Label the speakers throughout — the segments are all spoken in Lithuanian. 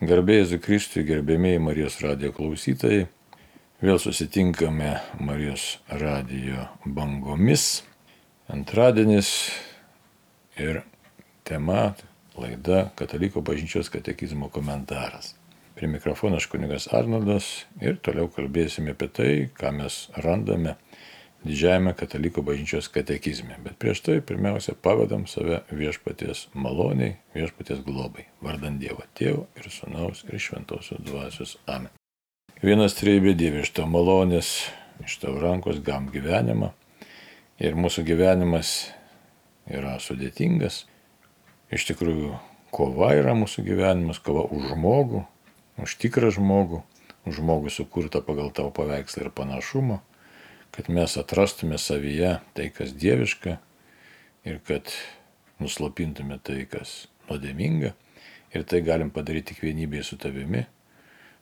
Speaker 1: Garbė Jėzui Kristui, gerbėmėjai Marijos radijo klausytojai. Vėl susitinkame Marijos radijo bangomis. Antradienis ir tema, laida Katalikų bažnyčios katekizmo komentaras. Prie mikrofono aš kunigas Arnoldas ir toliau kalbėsime apie tai, ką mes randame didžiajame Katalikų bažnyčios katekizme. Bet prieš tai pirmiausia pavedam save viešpaties maloniai, viešpaties globai, vardant Dievo Tėvo ir Sūnaus ir Šventosios Dvasios. Amen. Vienas trejybė Dieve, iš tavo malonės, iš tavo rankos gavom gyvenimą ir mūsų gyvenimas yra sudėtingas. Iš tikrųjų, kova yra mūsų gyvenimas, kova už žmogų, už tikrą žmogų, už žmogų sukurtą pagal tavo paveikslą ir panašumą, kad mes atrastume savyje tai, kas dieviška ir kad nuslopintume tai, kas nuodėminga. Ir tai galim padaryti tik vienybėje su tavimi.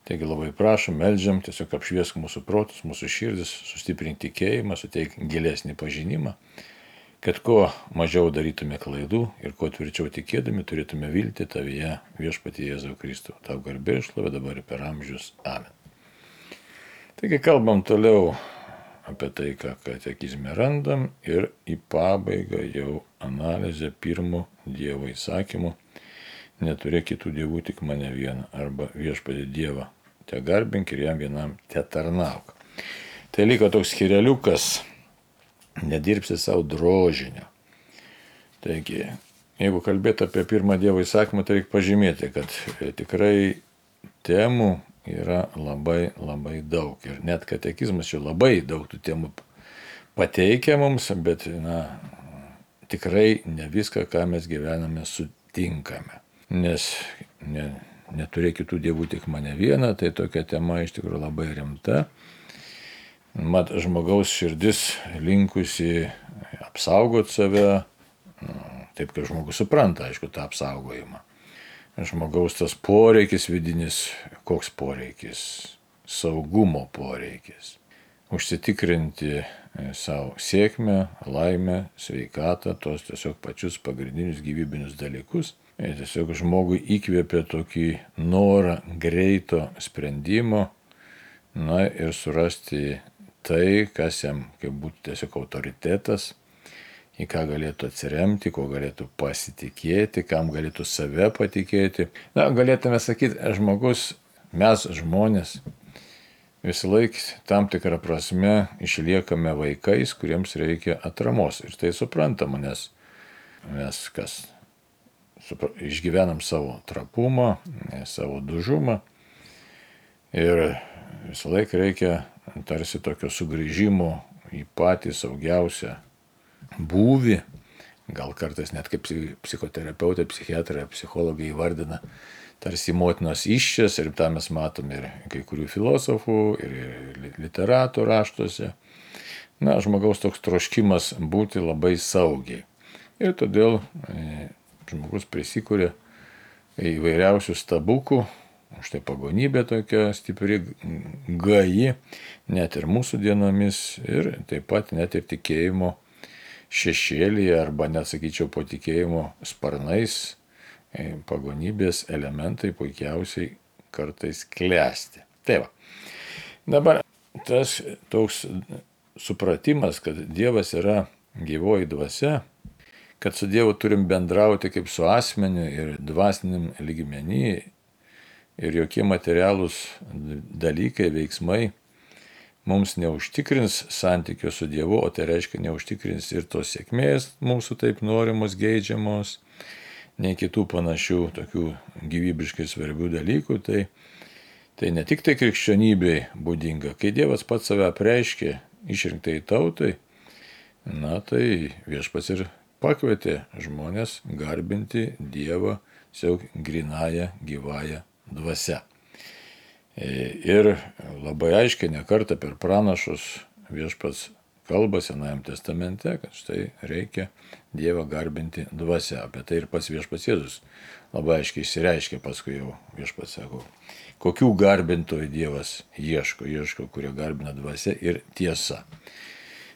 Speaker 1: Taigi labai prašom, meldžiam, tiesiog apšviesk mūsų protus, mūsų širdis, sustiprink tikėjimą, suteik gilesnį pažinimą, kad kuo mažiau darytume klaidų ir kuo tvirčiau tikėdami turėtume viltį tavyje viešpatie Jėzau Kristų. Tau garbė ir šlovė dabar ir per amžius. Amen. Taigi kalbam toliau apie tai, ką katekizme randam ir į pabaigą jau analizę pirmo Dievo įsakymu: neturėk kitų dievų, tik mane vieną, arba viešpatį Dievą te garbink ir jam vienam te tarnauk. Tai liko toks skyreliukas: nedirbsi savo drožinio. Taigi, jeigu kalbėt apie pirmą Dievo įsakymą, tai reikia pažymėti, kad tikrai temų yra labai daug. Ir net katekizmas čia labai daug tų temų pateikia mums, bet tikrai ne viską, ką mes gyvename, sutinkame. Nes neturėk kitų dievų, tik mane vieną, tai tokia tema iš tikrųjų labai rimta. Mat, žmogaus širdis linkusi apsaugoti save, taip kaip žmogus supranta, aišku, tą apsaugojimą. Žmogaus tas poreikis vidinis, koks poreikis? Saugumo poreikis. Užsitikrinti savo sėkmę, laimę, sveikatą, tos tiesiog pačius pagrindinius gyvybinius dalykus. Ir tiesiog žmogui įkvėpia tokį norą greito sprendimo, ir surasti tai, kas jam kaip būtų tiesiog autoritetas, į ką galėtų atsiremti, ko galėtų pasitikėti, kam galėtų save patikėti. Galėtume sakyti, mes žmonės visą laiką tam tikrą prasme išliekame vaikais, kuriems reikia atramos. Ir tai suprantama, nes mes išgyvenam savo trapumą, savo dužumą ir visą laiką reikia tarsi tokio sugrįžimo į patį saugiausią būvį, gal kartais net kaip psichoterapeutai, psichiatrai, psichologai įvardina tarsi motinos įsčias, ir tą mes matom ir kai kurių filosofų, ir literatų raštuose. Žmogaus toks troškimas būti labai saugiai. Ir todėl žmogus prisikūrė įvairiausių stabukų, štai pagonybė tokia stipri, gaji, net ir mūsų dienomis, ir taip pat net ir tikėjimo šešėlyje, arba net sakyčiau po tikėjimo sparnais, pagonybės elementai puikiausiai kartais klesti. Tai va. Dabar tas toks supratimas, kad Dievas yra gyvoji dvasia, kad su Dievu turim bendrauti kaip su asmeniu ir dvasiniam lygmenį, ir jokie materialūs dalykai, veiksmai mums neužtikrins santykio su Dievu, o tai reiškia neužtikrins ir tos sėkmės mūsų taip norimos, geidžiamos, nei kitų panašių tokių gyvybiškai svarbių dalykų. Tai ne tik tai krikščionybei būdinga. Kai Dievas pats save apreiškė išrinktai tautai, tai viešpats ir pakvietė žmonės garbinti Dievą tiesiog grynąją, gyvąją dvasią. Ir labai aiškiai nekartą per pranašus viešpats kalba Senajame testamente, kad štai reikia Dievą garbinti dvasia. Apie tai ir pats viešpats Jėzus labai aiškiai išsireiškė, paskui jau viešpats sako, kokių garbintojų Dievas ieško, kurie garbina dvasia ir tiesa.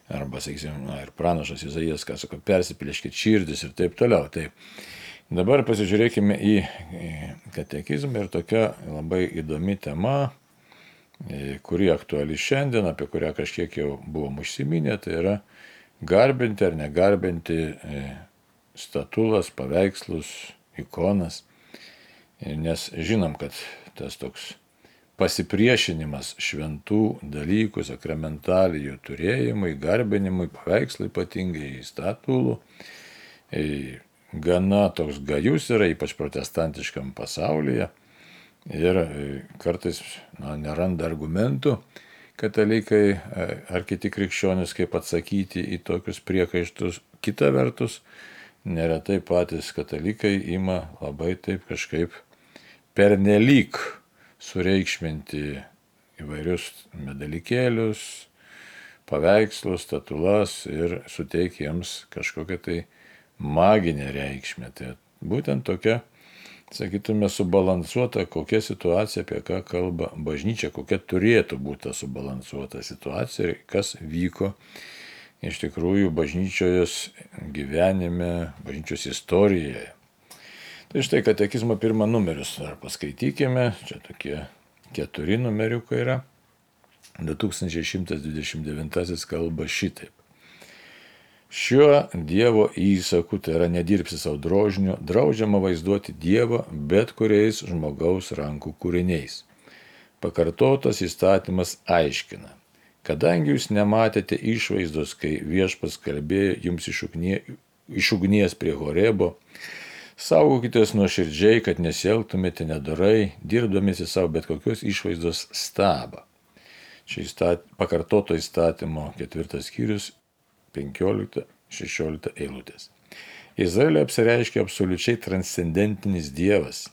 Speaker 1: Arba, sakysim, ir pranašas Izaijas, ką sako, persiplėškit širdis ir taip toliau. Tai Dabar pasižiūrėkime į katekizmą ir tokia labai įdomi tema, kuri aktuali šiandien, apie kurią kažkiek jau buvom užsiminę, tai yra garbinti ar negarbinti statulas, paveikslus, ikonas. Nes žinom, kad tas toks pasipriešinimas šventų dalykų, sakramentalijų turėjimui, garbinimui, paveikslui ypatingai, statulų, gana toks gajus yra, ypač protestantiškam pasaulyje. Ir kartais neranda argumentų katalikai ar kiti krikščionys, kaip atsakyti į tokius priekaištus. Kita vertus, neretai patys katalikai ima labai taip kažkaip pernelyg sureikšminti įvairius medalikėlius, paveikslus, statulas ir suteikia jiems kažkokią tai maginę reikšmę. Tai būtent tokia, sakytume, subalansuota kokia situacija, apie ką kalba bažnyčia, kokia turėtų būti subalansuota situacija ir kas vyko iš tikrųjų bažnyčios gyvenime, bažnyčios istorijoje. Tai štai katekizmo 1 numerius dar paskaitykime, čia tokie 4 numeriukai yra. 2129 kalba šitaip. Šiuo Dievo įsaku, tai yra nedirbsi savo drožiniu, draudžiama vaizduoti Dievą bet kuriais žmogaus rankų kūriniais. Pakartotas įstatymas aiškina, kadangi jūs nematėte išvaizdos, kai Viešpats kalbėjo jums iš ugnies prie Horebo, saugokitės nuoširdžiai, kad nesielgtumėte nedorai, dirbdamiesi savo bet kokios išvaizdos stabą. Čia pakartoto įstatymo 4 skyrius 15-16 eilutės. Izraelio apsireiškia absoliučiai transcendentinis Dievas.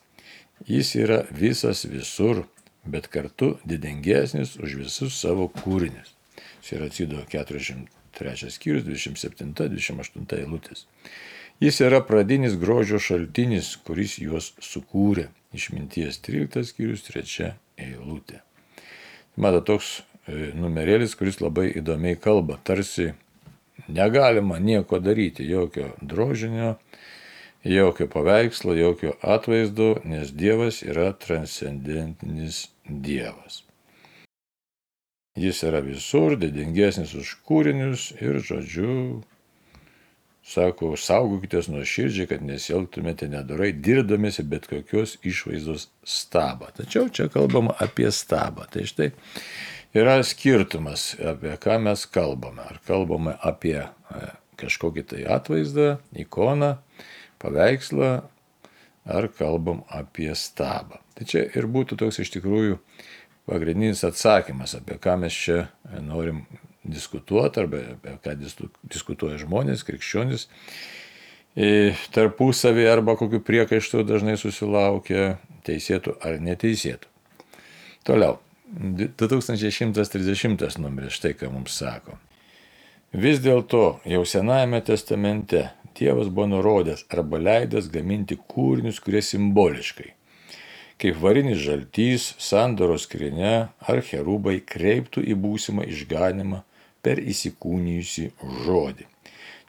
Speaker 1: Jis yra visas visur, bet kartu didingesnis už visus savo kūrinius. Siracido 43 skyrius 27-28 eilutės. Jis yra pradinis grožio šaltinis, kuris juos sukūrė. Išminties 13 skyrius 3 eilutė. Matot, toks numerėlis, kuris labai įdomiai kalba, tarsi negalima nieko daryti, jokio drožinio, jokio paveikslo, jokio atvaizdo, nes Dievas yra transcendentinis Dievas. Jis yra visur, didingesnis už kūrinius ir, žodžiu, sako, saugokitės nuoširdžiai, kad nesielgtumėte nedorai, dirbdamiesi bet kokios išvaizdos stabą. Tačiau čia kalbama apie stabą. Tai štai yra skirtumas, apie ką mes kalbame. Ar kalbame apie kažkokį tai atvaizdą, ikoną, paveikslą, ar kalbam apie stabą. Tai čia ir būtų toks iš tikrųjų pagrindinis atsakymas, apie ką mes čia norim diskutuoti, arba apie ką diskutuoja žmonės, krikščionys, tarpusavį arba kokiu priekaištu dažnai susilaukia, teisėtų ar neteisėtų. Toliau, 2130 numeris, štai ką mums sako. Vis dėlto jau Senajame testamente Dievas buvo nurodęs arba leidęs gaminti kūrinius, kurie simboliškai, kaip varinis žaltys, sandoros skrynia ar cherubai kreiptų į būsimą išganimą per įsikūnijusį žodį.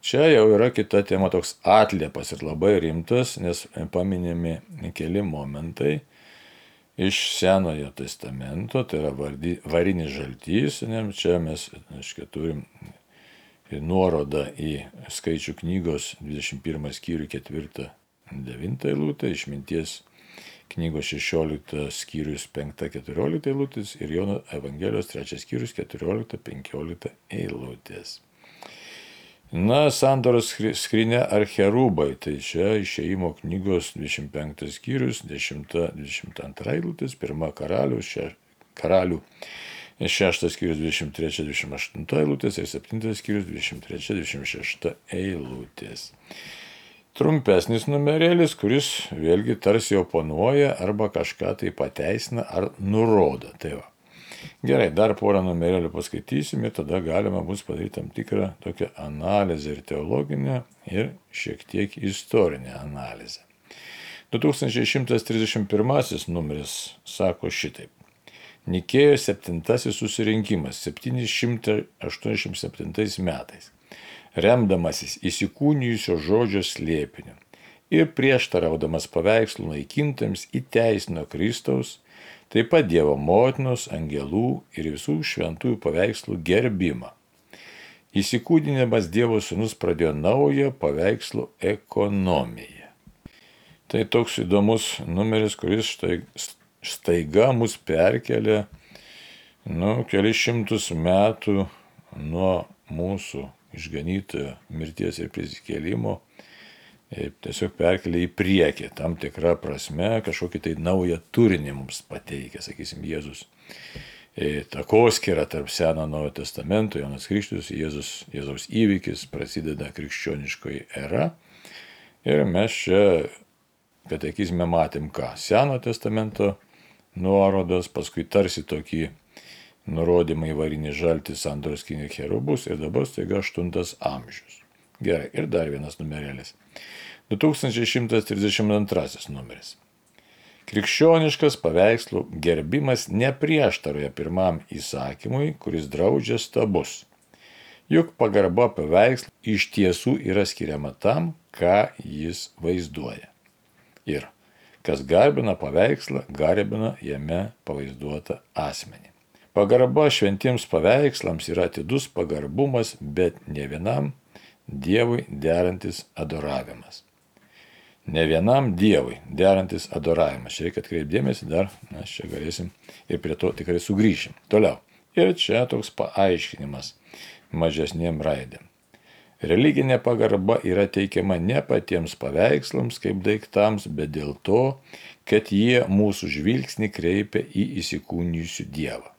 Speaker 1: Čia jau yra kita tema, toks atliepas ir labai rimtas, nes paminimi keli momentai iš Senojo testamento, tai yra varinis žaltys, čia mes turim nuorodą į Skaičių knygos 21 skyrių 4-9 eilutę, Išminties knygos 16 skyrius 5-14 eilutės ir Jono Evangelijos 3 skyrius 14-15 eilutės. Na, sandoros skrynia ar cherubai, tai čia Išėjimo knygos 25 skyrius 10-22 eilutės, 1 karalių 6 skyrius 23-28 eilutės ir 7 skyrius 23-26 eilutės. Trumpesnis numerėlis, kuris vėlgi tarsi oponuoja arba kažką tai pateisina ar nurodo. Tai va. Gerai, dar porą numerėlių paskaitysim ir tada galima bus padaryti tam tikrą tokią analizę ir teologinę ir šiek tiek istorinę analizę. 2131 numeris sako šitaip. Nikėjos 7 susirinkimas 787 metais, remdamasis įsikūnijusio žodžio slėpiniu ir prieštaraudamas paveikslų naikintams įteisino Kristaus, taip pat Dievo motinos, angelų ir visų šventųjų paveikslų gerbimą. Įsikūdinimas Dievo sūnus pradėjo naują paveikslų ekonomiją. Tai toks įdomus numeris, kuris staiga mus perkelia kelis šimtus metų nuo mūsų išganytojo mirties ir prisikėlimo, tiesiog perkelia į priekį, tam tikrą prasme, kažkokį tai naują turinį mums pateikia, sakysim, Jėzus. Takoskira tarp Seno Naujo Testamento, Jonas Krikštytojas, Jėzaus įvykis, prasideda krikščioniškoji era. Ir mes čia katekizme matėm ką? Seno Testamento nuorodos, paskui tarsi tokį nurodymą į varinį žaltį, sandoros skrynią, cherubus ir dabar staiga 8 amžius. Gerai, ir dar vienas numerėlis. 2132 numeris. Krikščioniškas paveikslų gerbimas neprieštaroja pirmam įsakymui, kuris draudžia stabus. Juk pagarba paveikslų iš tiesų yra skiriama tam, ką jis vaizduoja. Ir kas garbina paveikslą, garbina jame pavaizduotą asmenį. Pagarba šventiems paveikslams yra atidus pagarbumas, bet ne vienam Dievui derantis adoravimas. Ne vienam Dievui derantis adoravimas. Čia reikia atkreipdėmėsi dar, mes čia galėsim ir prie to tikrai sugrįšim. Toliau. Ir čia toks paaiškinimas mažesniem raidėm. Religinė pagarba yra teikiama ne patiems paveikslams kaip daiktams, bet dėl to, kad jie mūsų žvilgsnį kreipia į įsikūnijusių Dievą.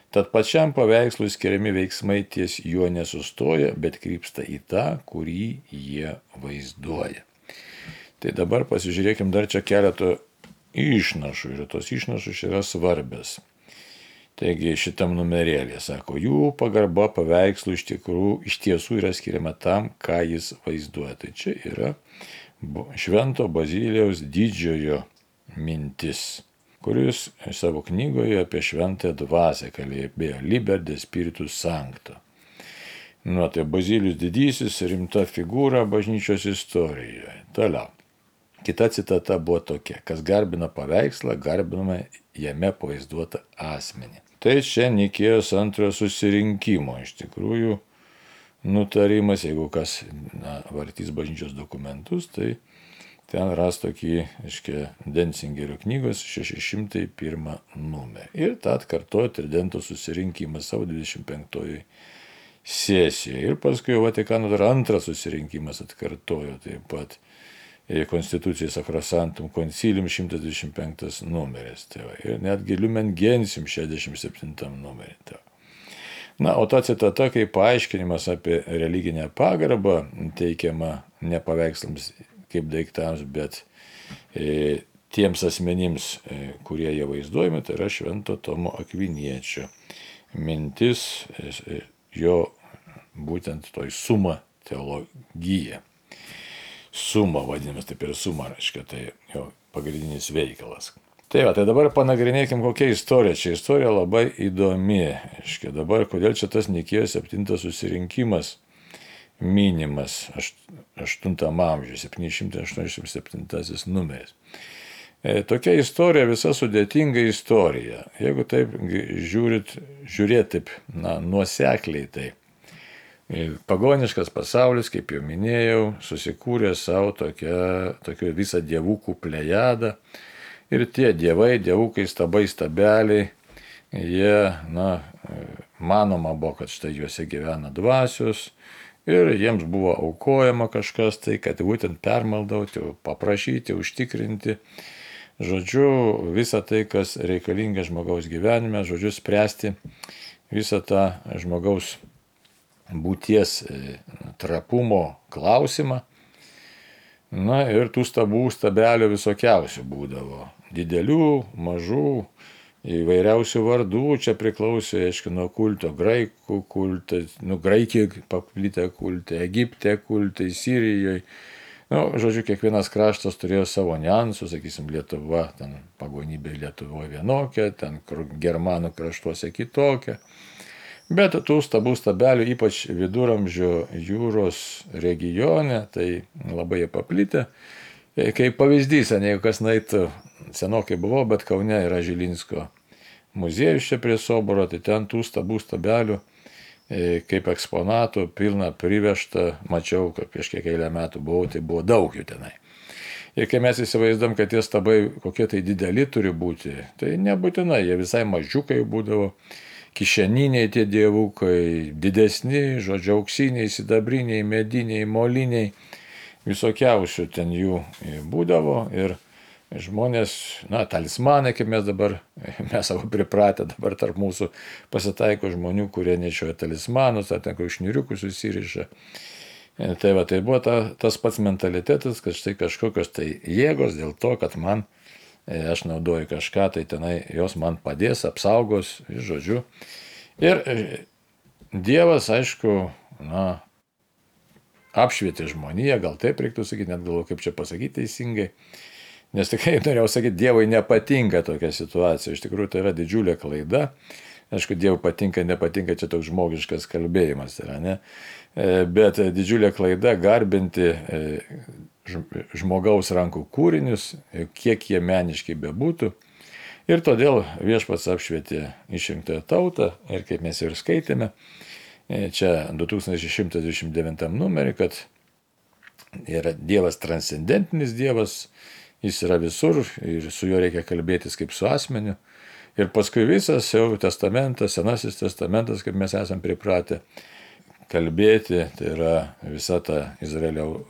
Speaker 1: Tad pačiam paveikslui skiriami veiksmai ties juo nesustoja, bet krypsta į tą, kurį jie vaizduoja. Tai dabar pasižiūrėkim dar čia keletą išnašų ir tos išnašos yra svarbios. Taigi šitam numerėlė sako, jų pagarba paveikslų iš tiesų yra skiriama tam, ką jis vaizduoja. Tai čia yra Švento Bazilijaus didžiojo mintis, kuris savo knygoje apie šventąją dvasią kalbėjo Liber de Spiritus Sancto. Tai Bazilijus didysis rimta figūra bažnyčios istorijoje. Toliau. Kita citata buvo tokia, kas garbina paveikslą, garbinama jame pavaizduotą asmenį. Tai čia Nikėjos antrojo susirinkimo iš tikrųjų nutarimas, jeigu kas vartys bažnyčios dokumentus, tai ten ras tokį, Dencingerio knygos 601 numerį. Ir tą atkartojo Tridento susirinkimas savo 25 sesijoje. Ir paskui Vatikano dar antras susirinkimas atkartojo taip pat Constitucijai Sacrosanctum Concilium 125 numeris. Ir netgi Lumen Gentium 67 numerį. O ta citata kaip paaiškinimas apie religinę pagarbą teikiama ne paveikslams kaip daiktams, bet tiems asmenims, kurie jie vaizduojami, tai yra Švento Tomo Akviniečio mintis, jo būtent toj suma teologija. Suma vadinamas, taip ir suma, tai jo pagrindinis veikalas. Tai dabar panagrinėkim, kokia istorija. Čia istorija labai įdomi. Dabar, kodėl čia tas Nikėjos 7 susirinkimas minimas 8 amžiuje, 787 numeris. Tokia istorija, visa sudėtinga istorija. Jeigu taip žiūrėt taip, nuosekliai, tai pagoniškas pasaulis, kaip jau minėjau, susikūrė savo tokią visą dievukų plejadą. Ir tie dievai, dievukai, stabai, stabeliai, jie, manoma buvo, kad štai juose gyvena dvasios. Ir jiems buvo aukojama kažkas tai, kad būtent permaldauti, paprašyti, užtikrinti. Žodžiu, visą tai, kas reikalinga žmogaus gyvenime, žodžiu, spręsti visą tą žmogaus būties trapumo klausimą. Ir tų stabelių visokiausių būdavo. Didelių, mažų, įvairiausių vardų, čia priklausė, nuo kulto, graikų kultai, Graikijoje paplitę kultai, Egipte kultai, Sirijoje. Žodžiu, kiekvienas kraštas turėjo savo niuansų, sakysim, Lietuva, ten pagonybė Lietuvoje vienokia, ten germanų kraštuose kitokia. Bet tų stabelių, ypač viduramžių jūros regione, tai labai paplitę. Kaip pavyzdys, jeigu kas nueitų, senokai buvau, bet Kaune yra Žilinsko muziejus čia prie Soboro, tai ten tų stabų stabelių, kaip eksponatų, pilna privežta, mačiau, kad prieš kiek eilę metų buvau, tai buvo daug jų tenai. Ir kai mes įsivaizduom, kad tie stabai kokie tai dideli turi būti, tai nebūtinai, jie visai mažiukai būdavo, kišeniniai tie dievukai, didesni, žodžiu, auksiniai, sidabriniai, mediniai, moliniai, visokiausių ten jų būdavo ir žmonės, talismanai, kaip mes savo pripratę dabar tarp mūsų pasitaiko žmonių, kurie nešioja talismanus, ar ten kokius šniuriukus susiriša. Tai buvo tas pats mentalitetas, kad štai kažkokios tai jėgos dėl to, kad aš naudoju kažką, tai tenai jos man padės, apsaugos, žodžiu. Ir Dievas, aišku, apšvietė žmoniją, gal taip reiktų sakyti, net galvoju, kaip čia pasakyti teisingai. Nes tikrai norėjau sakyti, Dievui nepatinka tokia situacija. Iš tikrųjų, tai yra didžiulė klaida. Aišku, Dievui patinka, nepatinka, čia toks žmogiškas kalbėjimas yra, ne? Bet didžiulė klaida garbinti žmogaus rankų kūrinius, kiek jie meniškai bebūtų. Ir todėl Viešpats apšvietė išrinktąją tautą ir kaip mes ir skaitėme, čia 2129 numerį, kad yra Dievas transcendentinis Dievas, jis yra visur ir su juo reikia kalbėtis kaip su asmeniu. Ir paskui visas jau testamentas, Senasis testamentas, kaip mes esam pripratę kalbėti, tai yra visa ta Izraelio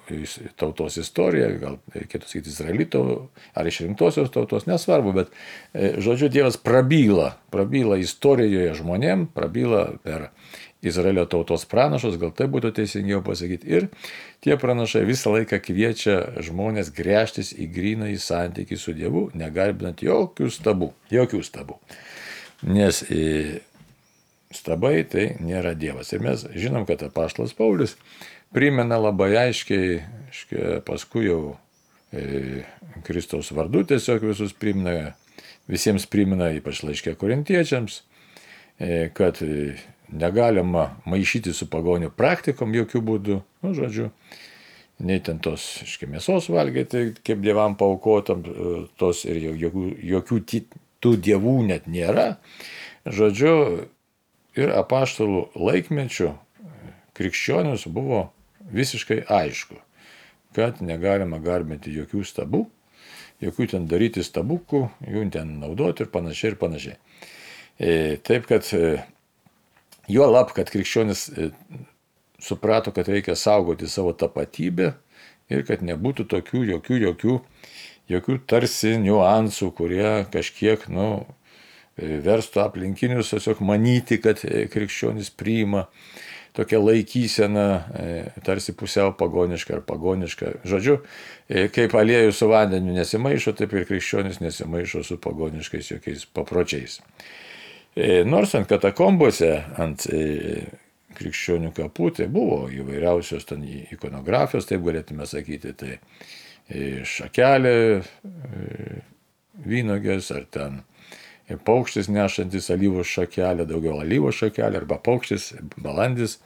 Speaker 1: tautos istorija, gal reikėtų sakyti Izraelito ar išrinktosios tautos, nesvarbu, bet žodžiu, Dievas prabyla istorijoje žmonėm, prabyla per Izraelio tautos pranašus, gal tai būtų teisingiau pasakyti. Ir tie pranašai visą laiką kviečia žmonės gręžtis į grynąjį santykį su Dievu, negarbinant jokių stabų. Nes stabai tai nėra Dievas. Ir mes žinom, kad apaštalas Paulius primena labai aiškiai, paskui jau Kristaus vardu tiesiog visiems primena, ypač laiške korintiečiams, kad negalima maišyti su pagonių praktikom jokių būdų, nei ten tos mėsos valgyti, kaip dievam paukotam, tos ir jokių tų dievų net nėra. Ir apaštalų laikmečių krikščionius buvo visiškai aišku, kad negalima garbinti jokių stabų, jokių ten daryti stabukų, jų ten naudoti ir panašiai. Taip, kad juolab, kad krikščionis suprato, kad reikia saugoti savo tapatybę ir kad nebūtų tokių jokių tarsi niuansų, kurie kažkiek, verstų aplinkinius tiesiog manyti, kad krikščionis priima tokią laikyseną, tarsi pusiau pagonišką ar pagonišką. Žodžiu, kaip aliejus su vandeniu nesimaišo, taip ir krikščionis nesimaišo su pagoniškais jokiais papročiais. Nors ant katakombose, ant krikščionių kapų, tai buvo įvairiausios ten ikonografijos, taip galėtume sakyti, tai šakelė vynogės, ar ten paukštis nešantis alyvos šakelę, daugiau alyvos šakelę, arba paukštis, balandis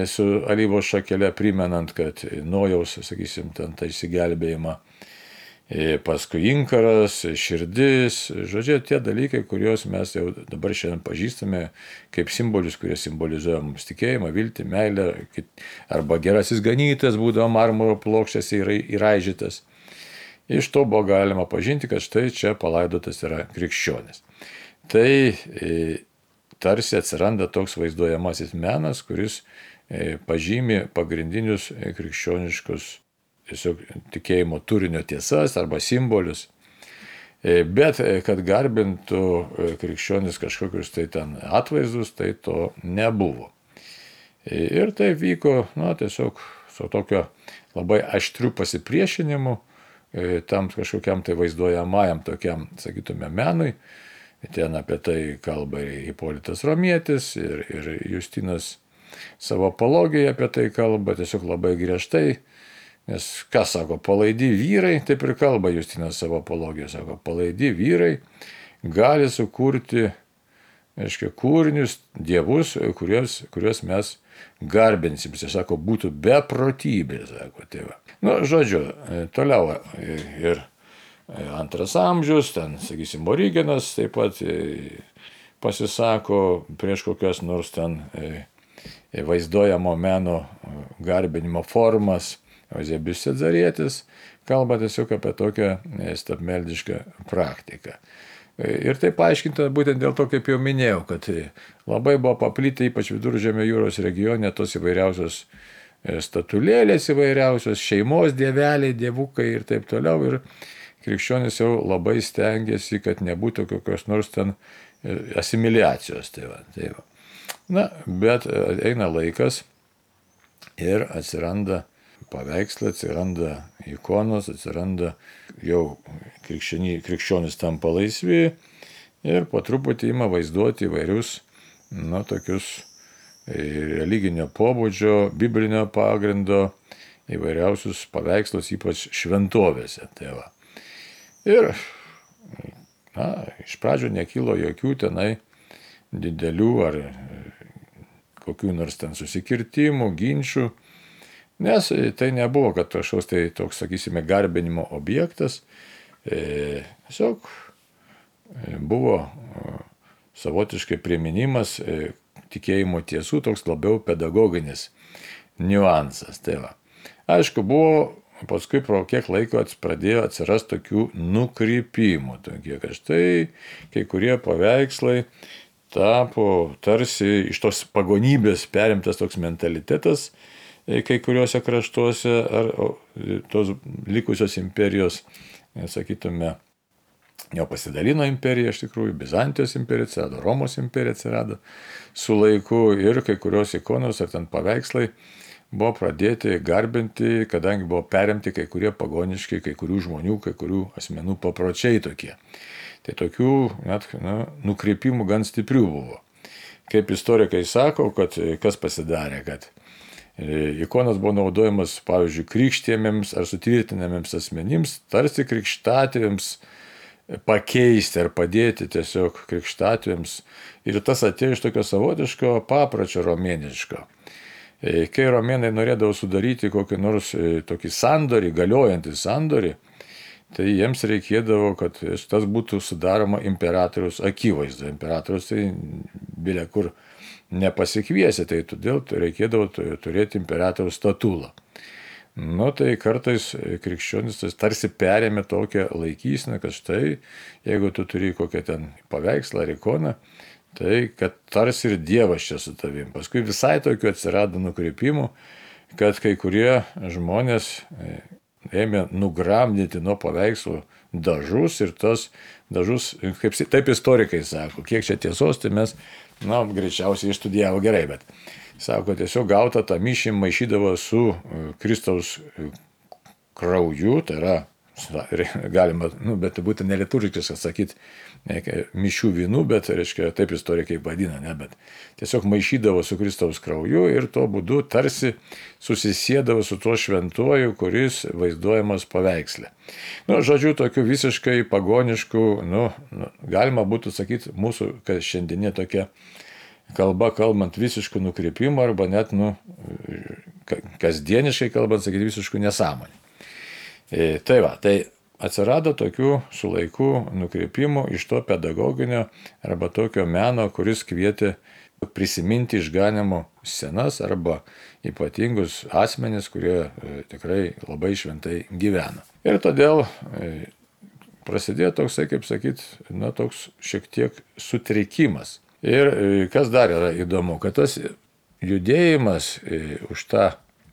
Speaker 1: su alyvos šakelė, primenant, kad Nojaus, sakysim, ten tą išsigelbėjimą. Paskui inkaras, širdis, žodžiu, tie dalykai, kuriuos mes jau dabar šiandien pažįstame kaip simbolius, kurie simbolizuoja mums tikėjimą, viltį, meilę, arba gerasis ganytojas būdavo marmuro plokštėse įraižytas. Iš to buvo galima pažinti, kad štai čia palaidotas yra krikščionis. Tai tarsi atsiranda toks vaizduojamasis menas, kuris pažymi pagrindinius krikščioniškus tiesiog tikėjimo turinio tiesas arba simbolius, bet kad garbintų krikščionis kažkokius tai ten atvaizdus, tai to nebuvo. Ir tai vyko, tiesiog su tokio labai aštriu pasipriešinimu tam kažkokiam tai vaizduojamajam tokiam, sakytume, menui. Ten apie tai kalba ir Hipolitas Romietis, ir Justinas savo apologijoje apie tai kalba, tiesiog labai griežtai. Nes kas sako, palaidi vyrai, taip ir kalba Justinas savo apologijoje, sako, palaidi vyrai gali sukurti reiškia, kūrinius, dievus, kuriuos mes garbinsim. Jis sako, būtų beprotybė, sako tėva. Žodžiu, toliau ir antras amžius, ten, sakysim, Origenas taip pat pasisako prieš kokias nors ten vaizduojamo meno garbinimo formas. Euzebijus Cezarietis kalba tiesiog apie tokią stabmeldišką praktiką. Ir tai paaiškinta būtent dėl to, kaip jau minėjau, kad labai buvo paplitę, ypač Viduržemio jūros regione, tos įvairiausios statulėlės įvairiausios, šeimos dieveliai, dievukai ir taip toliau. Ir krikščionis jau labai stengiasi, kad nebūtų kokios nors ten asimiliacijos. Tai va. Bet eina laikas ir atsiranda paveikslai, atsiranda ikonos, atsiranda jau krikščionis tampa laisvi ir po truputį ima vaizduoti įvairius, tokius religinio pobūdžio, biblinio pagrindo įvairiausius paveikslus, ypač šventovėse. Tai va. Ir iš pradžių nekilo jokių tenai didelių ar kokių nors ten susikirtimų, ginčių, nes tai nebuvo, kad kažkoks tai toks, sakysime, garbinimo objektas, tiesiog buvo savotiškai priminimas tikėjimo tiesų, toks labiau pedagoginis niuansas. Tai va. Aišku, buvo paskui pro kiek laiko pradėjo atsirasti tokių nukrypimų, tokie, kad štai kai kurie paveikslai tapo tarsi iš tos pagonybės perimtas toks mentalitetas kai kuriuose kraštuose ar tos likusios imperijos, sakytume, jau pasidalino imperija iš tikrųjų, Bizantijos imperija atsirado, Romos imperija atsirado su laiku ir kai kurios ikonos ar ten paveikslai buvo pradėti garbinti, kadangi buvo perimti kai kurie pagoniški, kai kurių žmonių, kai kurių asmenų papročiai tokie. Tai tokių net nukreipimų gan stiprių buvo. Kaip istorikai sako, kad kas pasidarė, kad ikonas buvo naudojamas, pavyzdžiui, krikštėmėms ar sutvirtinamiems asmenims, tarsi krikštatėviams pakeisti ar padėti tiesiog krikštatėviams. Ir tas atėjo iš tokio savotiško papročio romėniško. Kai romėnai norėdavo sudaryti kokį nors tokį sandorį, galiojantį sandorį, tai jiems reikėdavo, kad tas būtų sudaroma imperatoriaus akivaizdu. Imperatorius tai bilia kur nepasikviesi, tai todėl reikėdavo turėti imperatoriaus statulą. Tai kartais krikščionis tarsi perėmė tokią laikyseną, kad štai, jeigu tu turi kokią ten paveikslą ar ikoną, tai kad tarsi ir Dievas čia su tavim. Paskui visai tokių atsirado nukreipimų, kad kai kurie žmonės ėmė nugramdyti nuo paveikslų dažus ir tos dažus, taip istorikai sako, kiek čia tiesos, tai mes, greičiausiai išstudijavo gerai, bet sako, tiesiog gautą tą mišį maišydavo su Kristaus krauju, tai yra, galima, bet būtent neliturgiškai sakyti, mišių vynų, bet, reiškia, taip istorikai vadina, bet tiesiog maišydavo su Kristaus krauju ir tuo būdu tarsi susisėdavo su tuo šventuoju, kuris vaizduojamas paveiksle. Žodžiu, tokių visiškai pagoniškų, galima būtų sakyti, mūsų šiandieninė tokia kalba, kalbant visiškų nukrypimų arba net, kasdieniškai kalbant, sakyti, visiškų nesąmonį. Tai va, tai atsirado tokių su laiku nukreipimų iš to pedagoginio arba tokio meno, kuris kvietė prisiminti išganimo scenas arba ypatingus asmenis, kurie tikrai labai šventai gyvena. Ir todėl prasidėjo toksai, kaip sakyt, toks šiek tiek sutrikimas. Ir kas dar yra įdomu, kad tas judėjimas už tą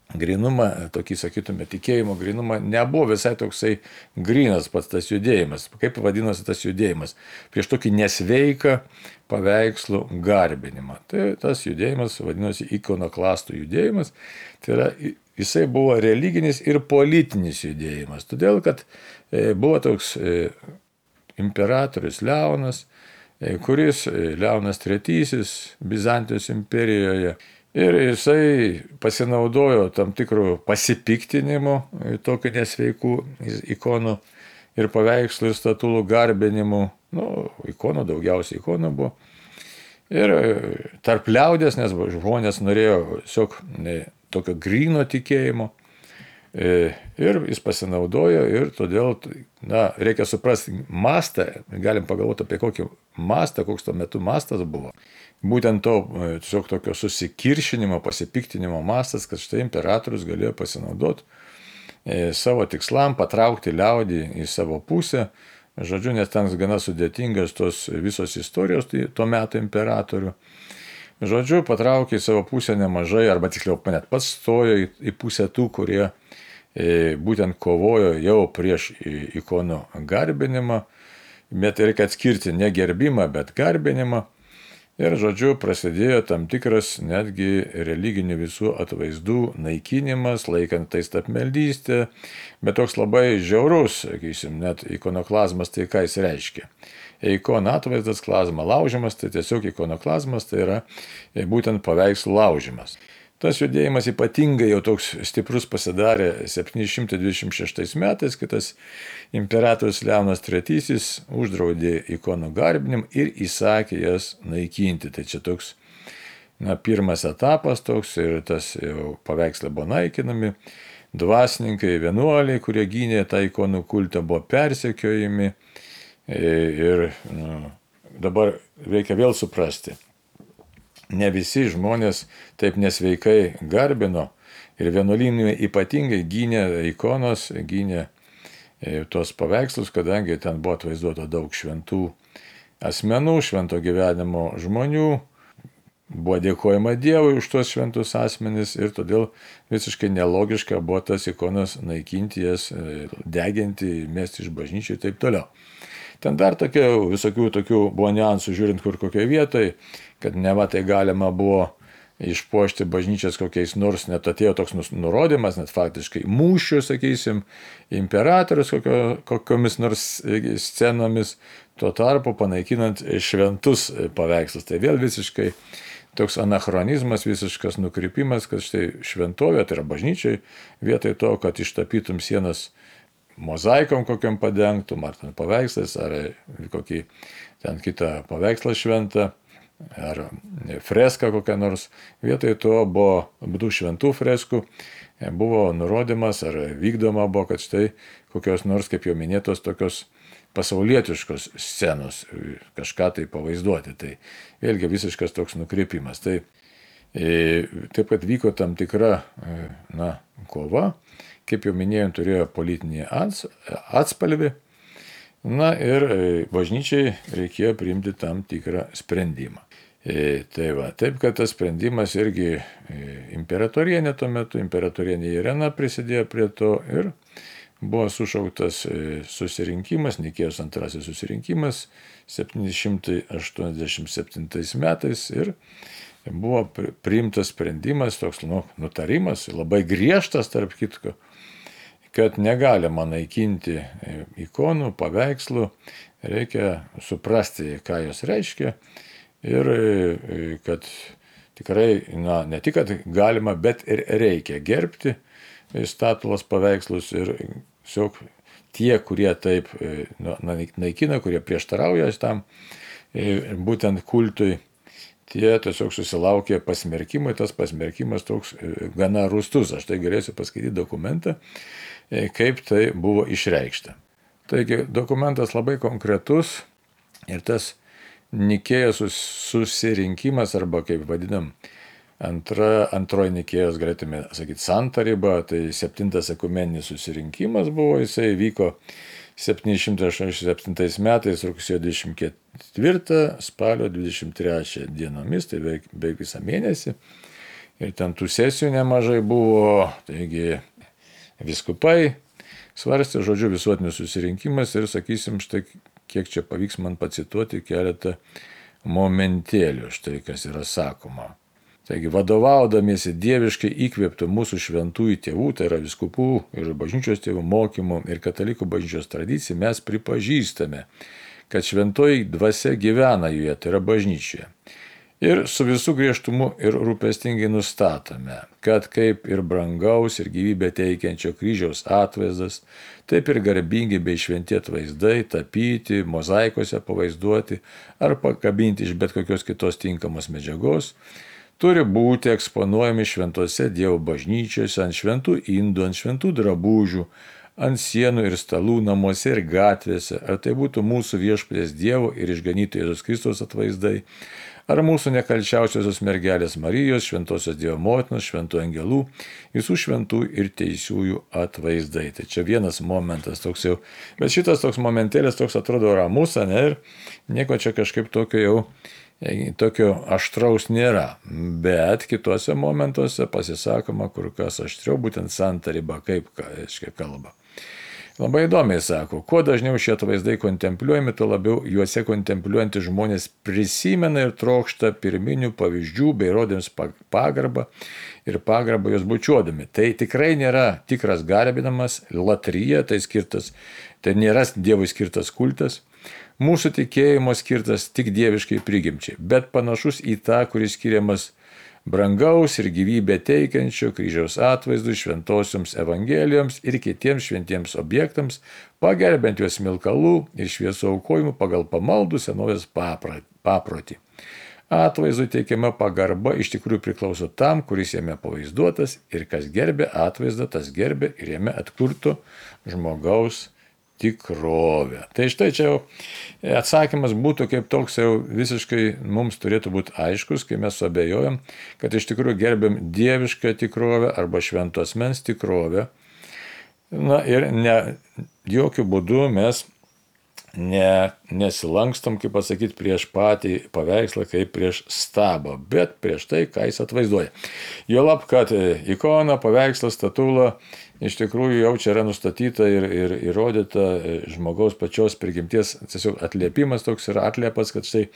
Speaker 1: grinumą, tokį, sakytume, tikėjimo grinumą, nebuvo visai toksai grynas pats tas judėjimas. Kaip vadinosi tas judėjimas? Prieš tokį nesveiką paveikslų garbinimą. Tai tas judėjimas vadinosi ikonoklastų judėjimas. Tai yra, jisai buvo religinis ir politinis judėjimas. Todėl, kad buvo toks imperatorius Leonas, kuris Leonas III Bizantijos imperijoje. Ir jisai pasinaudojo tam tikrų pasipiktinimų, tokių nesveikų ikonų ir paveikslų ir statulų garbinimų. Ikonų, daugiausiai ikonų buvo. Ir tarp liaudės, nes žmonės norėjo tiesiog tokio gryno tikėjimo. Ir jis pasinaudojo ir todėl, reikia suprasti mastą, galim pagalvoti apie kokį mastą, koks tuo metu mastas buvo. Būtent to tiesiog tokio susikiršinimo, pasipiktinimo mastas, kad štai imperatorius galėjo pasinaudoti savo tikslam, patraukti liaudį į savo pusę. Žodžiu, nes ten gana sudėtingas tos visos istorijos tuo metu imperatorių. Žodžiu, patraukė į savo pusę nemažai, arba tiksliau net pats stojo į pusę tų, kurie būtent kovojo jau prieš ikonų garbinimą, bet reikia atskirti ne gerbimą, bet garbinimą. Ir, žodžiu, prasidėjo tam tikras netgi religinių visų atvaizdų naikinimas, laikant tai stapmeldystę, bet toks labai žiaurus, sakysim, net ikonoklazmas, tai ką jis reiškia. Ikono atvaizdas, klazma laužimas, tai tiesiog ikonoklazmas, tai yra būtent paveikslų laužimas. Tas judėjimas ypatingai jau toks stiprus pasidarė 726 metais, kai tas imperatorius Leonas III uždraudė ikonų garbinimą ir įsakė jas naikinti. Tai čia toks pirmas etapas toks ir tas jau paveikslai buvo naikinami. Dvasininkai, vienuoliai, kurie gynė tą ikonų kultą, buvo persekiojami. Ir dabar reikia vėl suprasti. Ne visi žmonės taip nesveikai garbino ir vienuolynai ypatingai gynė ikonos, gynė tos paveikslus, kadangi ten buvo atvaizduota daug šventų asmenų, švento gyvenimo žmonių, buvo dėkojama Dievui už tos šventus asmenis ir todėl visiškai nelogiška buvo tas ikonas naikinti, jas deginti, mesti iš bažnyčių ir taip toliau. Ten dar visokių tokių buvo niuansų, žiūrint kur kokioje vietoje, kad neva tai galima buvo išpuošti bažnyčias kokiais nors, net atėjo toks nurodymas, net faktiškai mūšių, sakysim, imperatorius kokiomis nors scenomis, tuo tarpu panaikinant šventus paveikslus. Tai vėl visiškai toks anachronizmas, visiškas nukrypimas, kad štai šventovė, tai yra bažnyčiai, vietoj to, kad ištapytum sienas mozaikom kokiam padengtum, ar ten paveikslais, ar kokį ten kitą paveikslą šventą, ar freską kokią nors. Vietoj to buvo tų šventų freskų, buvo nurodymas, ar vykdoma buvo, kad štai kokios nors, kaip jau minėtos, tokios pasaulietiškos scenos, kažką tai pavaizduoti. Tai vėlgi visiškas toks nukrypimas. Tai taip, kad vyko tam tikra kova, kaip jau minėjom, turėjo politinį atspalvį. Ir bažnyčiai reikėjo priimti tam tikrą sprendimą. Tai va, taip, kad tas sprendimas irgi imperatorienė tuo metu, imperatorienė Irena prisidėjo prie to ir buvo sušauktas susirinkimas, Nikėjos antrasis susirinkimas 787 metais ir buvo priimtas sprendimas, toks nutarimas, labai griežtas tarp kitko, kad negalima naikinti ikonų, paveikslų, reikia suprasti, ką jos reiškia ir kad tikrai, ne tik, kad galima, bet ir reikia gerbti statulos paveikslus ir tiesiog tie, kurie taip naikina, kurie prieštarauja tam būtent kultui, tie tiesiog susilaukė pasmerkimai, tas pasmerkimas toks gana rūstus. Aš tai galėsiu paskaityti dokumentą, kaip tai buvo išreikšta. Taigi dokumentas labai konkretus ir tas Nikėjos susirinkimas, arba kaip vadinam, antroji Nikėjos, galėtume sakyti, santaryba, tai 7 ekumeninis susirinkimas buvo, jisai vyko 787 metais rugsėjo 24, spalio 23 dienomis, tai beveik visą mėnesį. Ir ten tų sesijų nemažai buvo, taigi vyskupai svarstė, žodžiu, visuotinis susirinkimas ir sakysim, štai kiek čia pavyks man pacituoti keletą momentėlių, štai kas yra sakoma. Taigi, vadovaudamiesi dieviškai įkvėptų mūsų šventųjų tėvų, tai yra vyskupų ir bažnyčios tėvų mokymų ir katalikų bažnyčios tradicijų, mes pripažįstame, kad šventoji dvasia gyvena joje, tai yra bažnyčioje. Ir su visų griežtumu ir rūpestingai nustatome, kad kaip ir brangaus ir gyvybę teikiančio kryžiaus atvaizdas, taip ir garbingi bei šventi atvaizdai, tapyti, mozaikose pavaizduoti ar pakabinti iš bet kokios kitos tinkamos medžiagos, turi būti eksponuojami šventose Dievo bažnyčiose, ant šventų indų, ant šventų drabužių, ant sienų ir stalų, namuose ir gatvėse, ar tai būtų mūsų viešpaties Dievo ir išganytojo Jėzaus Kristaus atvaizdai, ar mūsų nekalčiausiosios mergelės Marijos, šventosios Dievo motinos, šventų angelų, visų šventų ir teisiųjų atvaizdai. Tai čia vienas momentas toks jau, bet šitas toks momentėlis toks atrodo ramus, ne, ir nieko čia kažkaip tokio aštraus nėra, bet kitose momentuose pasisakoma kur kas aštriau, būtent santarybą, kaip kalba. Labai įdomiai sako, kuo dažniau šie atvaizdai kontempliuojami, tuo labiau juose kontempliuojantys žmonės prisimena ir trokšta pirminių pavyzdžių bei rodėms pagarbą ir pagarbą jos bučiuodami. Tai tikrai nėra tikras garbinamas, latrija, tai nėra Dievui skirtas kultas. Mūsų tikėjimo skirtas tik dieviškai prigimčiai, bet panašus į tą, kuris skiriamas brangaus ir gyvybę teikiančio kryžiaus atvaizdų šventosioms evangelijoms ir kitiems šventiems objektams, pagerbent juos smilkalų ir šviesų aukojimų pagal pamaldų senovės paprotį. Atvaizdui teikiama pagarba iš tikrųjų priklauso tam, kuris jame pavaizduotas, ir kas gerbė atvaizdą, tas gerbė ir jame atkurto žmogaus tikrovę. Tai štai čia jau atsakymas būtų kaip toks jau visiškai mums turėtų būti aiškus, kai mes suabejojam, kad iš tikrųjų gerbėm dievišką tikrovę arba švento asmens tikrovę. Na ir jokių būdų mes nesilankstom, kaip pasakyti, prieš patį paveikslą, kaip prieš stabą, bet prieš tai, ką jis atvaizduoja. Juolab, kad ikona, paveikslas, statula iš tikrųjų jau čia yra nustatyta ir įrodyta žmogaus pačios prigimties, tiesiog atliepimas toks yra atliepas, kad štai,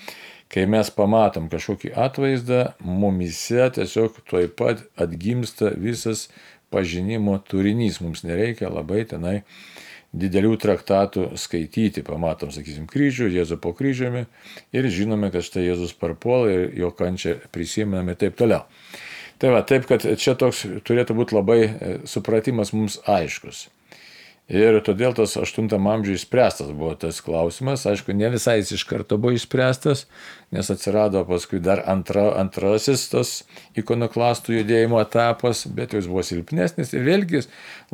Speaker 1: kai mes pamatom kažkokį atvaizdą, mumise tiesiog tuoj pat atgimsta visas pažinimo turinys. Mums nereikia labai tenai didelių traktatų skaityti, pamatom, sakysim, kryžių, Jėzų po kryžiumi ir žinome, kad štai Jėzus parpuola ir jo kančią prisimename ir taip toliau. Tai va, taip, kad čia toks turėtų būti labai supratimas mums aiškus. Ir todėl tas 8 amžiuje išspręstas buvo tas klausimas. Aišku, ne visai jis iš karto buvo išspręstas, nes atsirado paskui dar antrasis tas ikonoklastų judėjimo etapas, bet jis buvo silpnesnis ir vėlgi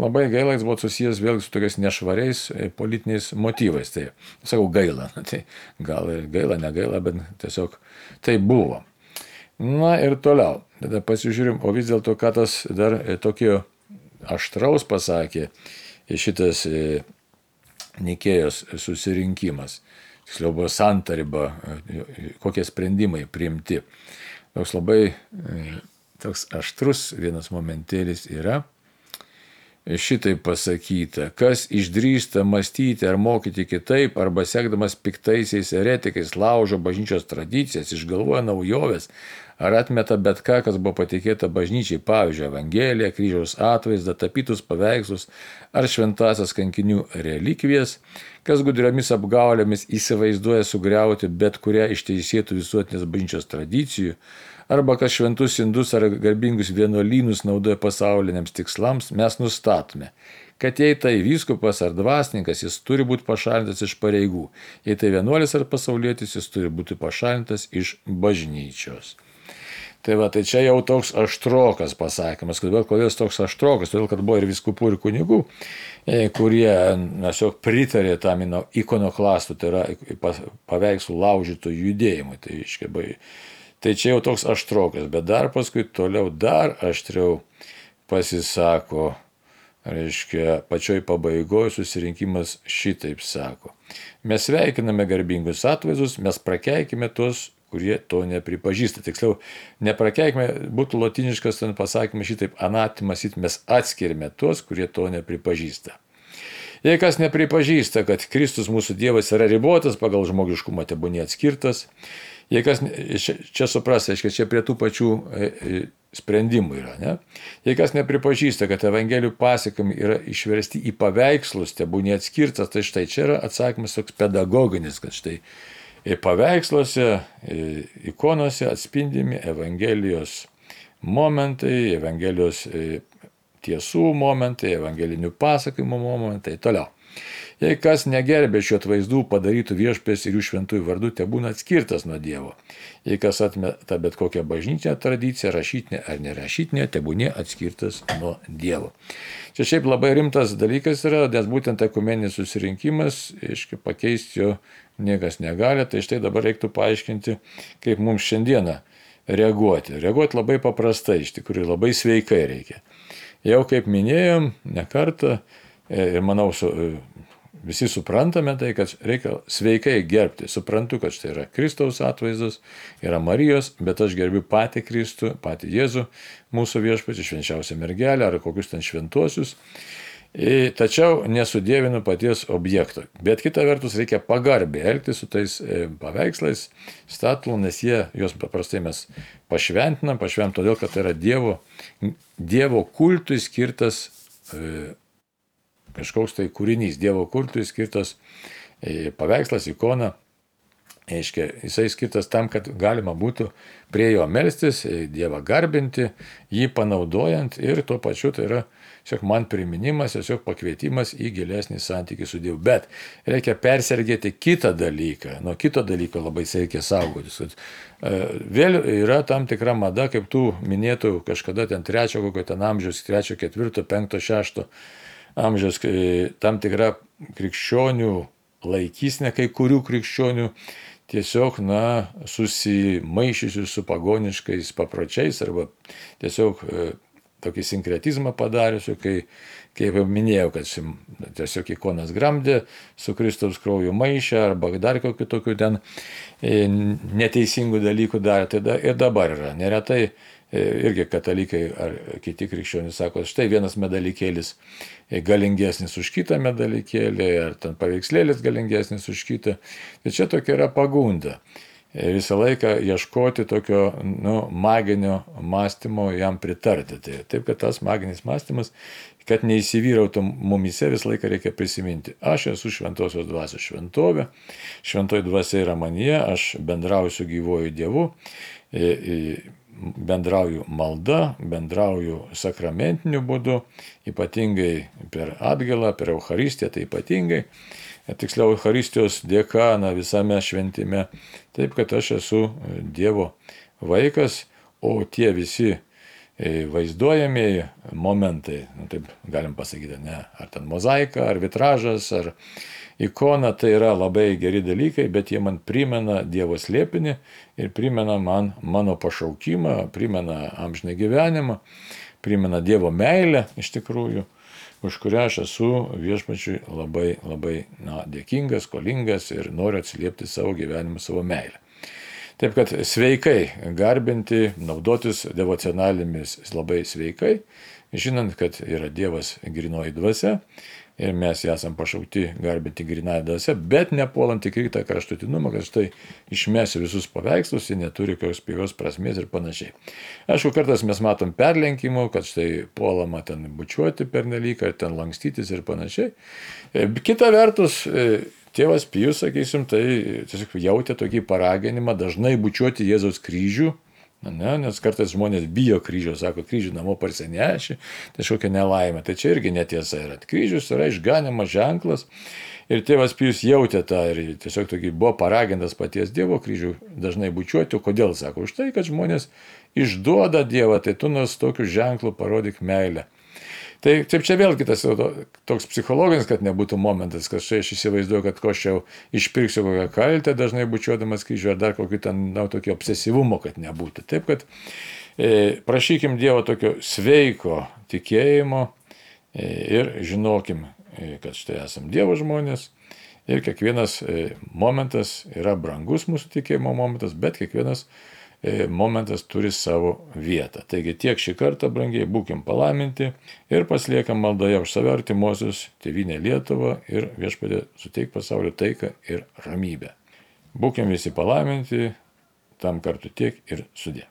Speaker 1: labai gaila, jis buvo susijęs vėlgi su tokiais nešvariais politiniais motyvais. Tai sakau gaila, tai gal ir gaila, negaila, bet tiesiog tai buvo. Na ir toliau, tada pasižiūrim, o vis dėlto, ką tas dar tokio aštraus pasakė šitas Nikėjos susirinkimas. Tiksliau buvo santariba, kokie sprendimai priimti. Toks labai toks aštrus vienas momentėlis yra. Šitaip pasakyta, kas išdrįsta mąstyti ar mokyti kitaip, arba sekdamas piktaisiais eretikais laužo bažnyčios tradicijas, išgalvoja naujoves, ar atmeta bet ką, kas buvo patikėta bažnyčiai, pavyzdžiui, Evangeliją, kryžiaus atvaizdą, tapytus paveikslus ar šventasias kankinių relikvijas, kas gudriomis apgaulėmis įsivaizduoja sugriauti bet kurią iš teisėtų visuotinės bažnyčios tradicijų, arba kas šventus indus ar garbingus vienuolynus naudoja pasauliniams tikslams, mes nustatome, kad jei tai vyskupas ar dvasininkas, jis turi būti pašalintas iš pareigų, jei tai vienuolis ar pasaulietis, jis turi būti pašalintas iš bažnyčios. Tai va, tai čia jau toks aštrokas pasakymas. Kodėl toks aštrokas? Todėl, kad buvo ir vyskupų, ir kunigų, kurie tiesiog pritarė tam ikonoklastų, tai yra paveikslų laužytų judėjimui. Tai čia jau toks aštrokas, bet dar paskui toliau dar aštriau pasisako, reiškia, pačioj pabaigoje susirinkimas šitaip sako. Mes sveikiname garbingus atvaizdus, mes prakeikime tuos, kurie to nepripažįsta. Tiksliau, neprakeikime, būtų lotiniškas ten pasakymas šitaip, anatimas, mes atskirime tuos, kurie to nepripažįsta. Jei kas nepripažįsta, kad Kristus mūsų Dievas yra ribotas, pagal žmogiškumą tebūnie atskirtas, jei kas, čia supras, reiškia, čia prie tų pačių sprendimų yra, ne? Jei kas nepripažįsta, kad Evangelijų pasakojimai yra išversti į paveikslus, tebūnie atskirtas, tai štai čia yra atsakymas toks pedagoginis, kad štai Paveiksluose, ikonose atspindimi Evangelijos momentai, Evangelijos tiesų momentai, evangelinių pasakojimų momentai, toliau. Jei kas negerbė šių atvaizdų padarytų viešpės ir jų šventųjų vardų, tebūna atskirtas nuo Dievo. Jei kas atmeta bet kokią bažnytinę tradiciją, rašytinę ar nerašytinę, tebūnė atskirtas nuo Dievo. Čia šiaip labai rimtas dalykas yra, nes būtent ekumeninis susirinkimas, pakeisti jo niekas negali, tai štai dabar reiktų paaiškinti, kaip mums šiandieną reaguoti. Reaguoti labai paprastai, iš tikrųjų labai sveikai reikia. Jau kaip minėjom, ne kartą, ir manau, visi suprantame tai, kad reikia sveikai gerbti. Suprantu, kad štai yra Kristaus atvaizdas, yra Marijos, bet aš gerbiu patį Kristų, patį Jėzų, mūsų viešpatį, švenčiausią mergelę ar kokius ten šventuosius. Tačiau nesudėvinu paties objekto. Bet kita vertus reikia pagarbiai elgtis su tais paveikslais, statulų, nes juos paprastai mes pašventinam todėl, kad tai yra Dievo kultui skirtas kažkoks tai kūrinys, Dievo kultui skirtas paveikslas, ikona. Jisai skirtas tam, kad galima būtų prie jo melstis, Dievą garbinti, jį panaudojant ir tuo pačiu tai yra tiesiog man priminimas, tiesiog pakvietimas į gilesnį santykį su Dievu. Bet reikia persergėti kitą dalyką, nuo kito dalyko labai reikia saugotis. Vėl yra tam tikra mada, kaip tų minėtų kažkada ten 3 kokio ten amžiaus, 3, 4, 5, 6 amžiaus, tam tikra krikščionių laikysnė, kai kurių krikščionių tiesiog, susimaišysiu su pagoniškais papročiais arba tiesiog tokį sinkretizmą padariusiu, kaip jau minėjau, kad tiesiog ikonas gramdė, su Kristaus krauju maišė arba dar kokių tokių ten neteisingų dalykų darė. Tai ir dabar yra. Neretai irgi katalikai ar kiti krikščionys sako, štai vienas medalikėlis galingesnis už kitą medalikėlį, ar ten paveikslėlis galingesnis už kitą. Tai čia tokia yra pagunda. Visą laiką ieškoti tokio maginio mąstymo, jam pritarti. Taip, kad tas maginis mąstymas, kad neįsivyrautų mumise, visą laiką reikia prisiminti. Aš esu šventosios dvasios šventovė, šventoji dvasia yra manyje, aš bendrauju su gyvuoju Dievu, bendrauju malda, bendrauju sakramentiniu būdu, ypatingai per atgailą, per Eucharistiją, tai ypatingai. Tiksliau, Eucharistijos dėka visame šventime, taip kad aš esu Dievo vaikas, o tie visi vaizduojamieji momentai, taip galim pasakyti, ar ten mozaika, ar vitražas, ar ikona, tai yra labai geri dalykai, bet jie man primena Dievo slėpinį ir primena man mano pašaukimą, primena amžiną gyvenimą, primena Dievo meilę iš tikrųjų, už kurią aš esu viešpačiui labai, labai dėkingas, skolingas ir noriu atsiliepti savo gyvenimu, savo meilę. Taip kad sveikai garbinti, naudotis devocionalėmis labai sveikai, žinant, kad yra Dievas grynoji dvasia ir mes esam pašaukti garbinti grynąją dvasią, bet nepuolant į kitą kraštutinumą, kad štai išmesiu visus paveikslus, jie neturi jokios pigios prasmės ir panašiai. Aišku, kartais mes matom perlenkimų, kad štai puolama ten bučiuoti pernelyg, ar ten lankstytis ir panašiai. Kita vertus, tėvas Pijus, sakysim, tai tiesiog jautė tokį paraginimą dažnai bučiuoti Jėzaus kryžių, nes kartais žmonės bijo kryžių, sako, kryžių namo parsineši, tai kažkokia nelaimė. Tai čia irgi netiesa yra. Kryžius yra išganimo ženklas ir tėvas Pijus jautė tą ir tiesiog tokį buvo paragintas paties Dievo kryžių dažnai bučiuoti. O kodėl, sako, už tai, kad žmonės išduoda Dievą, tai tu nors tokiu ženklu parodyk meilę. Tai taip čia vėl kitas toks psichologinis, kad nebūtų momentas, kad štai aš įsivaizduoju, kad ko aš jau išpirksiu kokią kaltę, dažnai bučiuodamas kryžių, ar dar kokį ten tokio obsesyvumo, kad nebūtų. Taip, kad prašykim Dievo tokio sveiko tikėjimo ir žinokim, kad štai esam Dievo žmonės ir kiekvienas momentas yra brangus mūsų tikėjimo momentas, bet kiekvienas momentas turi savo vietą. Taigi tiek šį kartą, brangiai, būkim palaiminti ir pasiliekam maldoje už save artimuosius, tėvynę Lietuvą ir Viešpatie suteik pasaulio taiką ir ramybę. Būkim visi palaiminti, tam kartu tiek ir sudie.